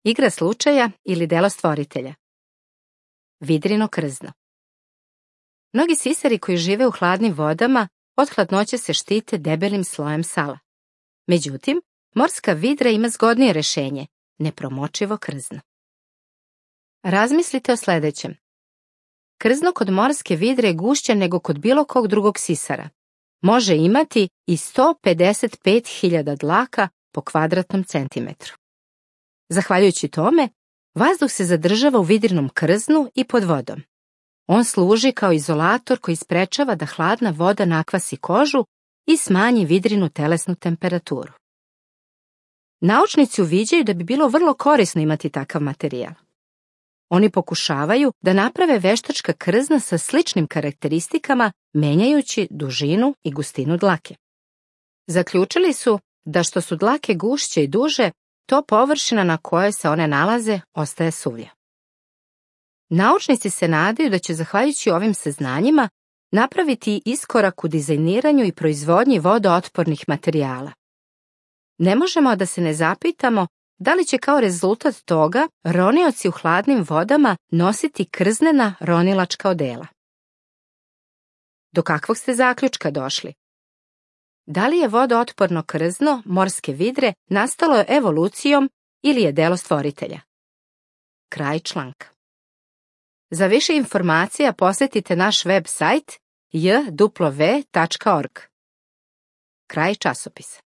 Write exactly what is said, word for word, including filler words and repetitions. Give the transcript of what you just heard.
Igra slučaja ili delo stvoritelja. Vidrino krzno. Mnogi sisari koji žive u hladnim vodama od hladnoće se štite debelim slojem sala. Međutim, morska vidra ima zgodnije rešenje, nepromočivo krzno. Razmislite o sledećem. Krzno kod morske vidre je gušće nego kod bilo kog drugog sisara. Može imati i sto pedeset pet hiljada dlaka po kvadratnom centimetru. Zahvaljujući tome, vazduh se zadržava u vidrinom krznu i pod vodom. On služi kao izolator koji sprečava da hladna voda nakvasi kožu i smanji vidrinu telesnu temperaturu. Naučnici uviđaju da bi bilo vrlo korisno imati takav materijal. Oni pokušavaju da naprave veštačka krzna sa sličnim karakteristikama, menjajući dužinu i gustinu dlake. Zaključili su da što su dlake gušće i duže, to površina na kojoj se one nalaze ostaje suvlja. Naučnici se nadaju da će, zahvaljujući ovim saznanjima, napraviti iskorak u dizajniranju i proizvodnji vodootpornih materijala. Ne možemo da se ne zapitamo da li će kao rezultat toga ronioci u hladnim vodama nositi krznena ronilačka odela. Do kakvog ste zaključka došli? Da li je vodootporno krzno morske vidre nastalo evolucijom ili je delo stvoritelja? Kraj članka. Za više informacija posetite naš web sajt j w tačka org. Kraj časopisa.